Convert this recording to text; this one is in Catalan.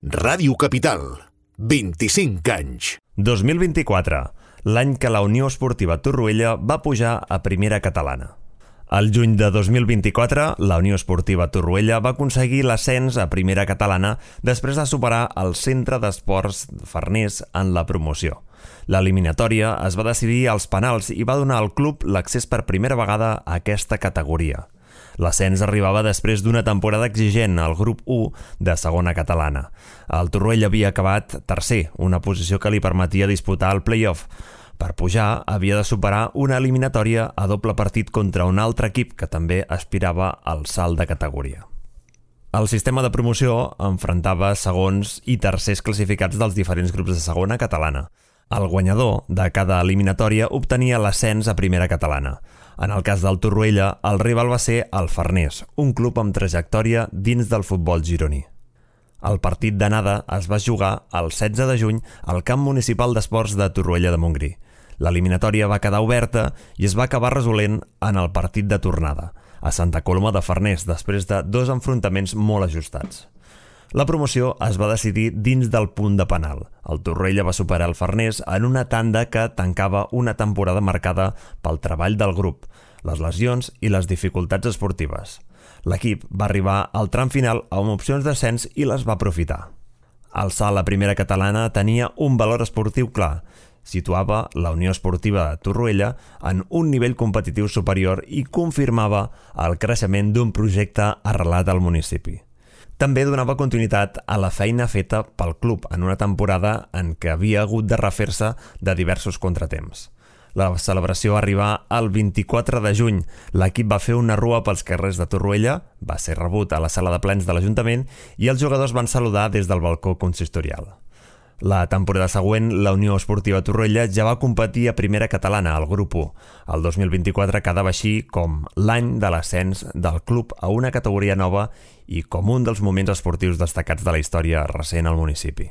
Ràdio Capital, 25 anys. 2024, l'any que la Unió Esportiva Torroella va pujar a Primera Catalana. Al juny de 2024, la Unió Esportiva Torroella va aconseguir l'ascens a Primera Catalana després de superar el Centre d'Esports Farners en la promoció. L'eliminatòria es va decidir als penals i va donar al club l'accés per primera vegada a aquesta categoria. L'ascens arribava després d'una temporada exigent al grup 1 de segona catalana. El Torroella havia acabat tercer, una posició que li permetia disputar el play-off. Per pujar, havia de superar una eliminatòria a doble partit contra un altre equip que també aspirava al salt de categoria. El sistema de promoció enfrontava segons i tercers classificats dels diferents grups de segona catalana. El guanyador de cada eliminatòria obtenia l'ascens a Primera Catalana. En el cas del Torroella, el rival va ser el Farners, un club amb trajectòria dins del futbol gironí. El partit d'anada es va jugar el 16 de juny al Camp Municipal d'Esports de Torroella de Montgrí. L'eliminatòria va quedar oberta i es va acabar resolent en el partit de tornada, a Santa Coloma de Farners, després de 2 enfrontaments molt ajustats. La promoció es va decidir dins del punt de penal. El Torroella va superar el Farners en una tanda que tancava una temporada marcada pel treball del grup, les lesions i les dificultats esportives. L'equip va arribar al tram final amb opcions d'ascens i les va aprofitar. El salt a Primera Catalana tenia un valor esportiu clar. Situava la Unió Esportiva de Torroella en un nivell competitiu superior i confirmava el creixement d'un projecte arrelat al municipi. També donava continuïtat a la feina feta pel club en una temporada en què havia hagut de refer-se de diversos contratemps. La celebració arribà el 24 de juny. L'equip va fer una rua pels carrers de Torroella, va ser rebut a la sala de plens de l'Ajuntament i els jugadors van saludar des del balcó consistorial. La temporada següent, la Unió Esportiva Torroella ja va competir a Primera Catalana, al grup 1. El 2024 quedava així com l'any de l'ascens del club a una categoria nova i com un dels moments esportius destacats de la història recent al municipi.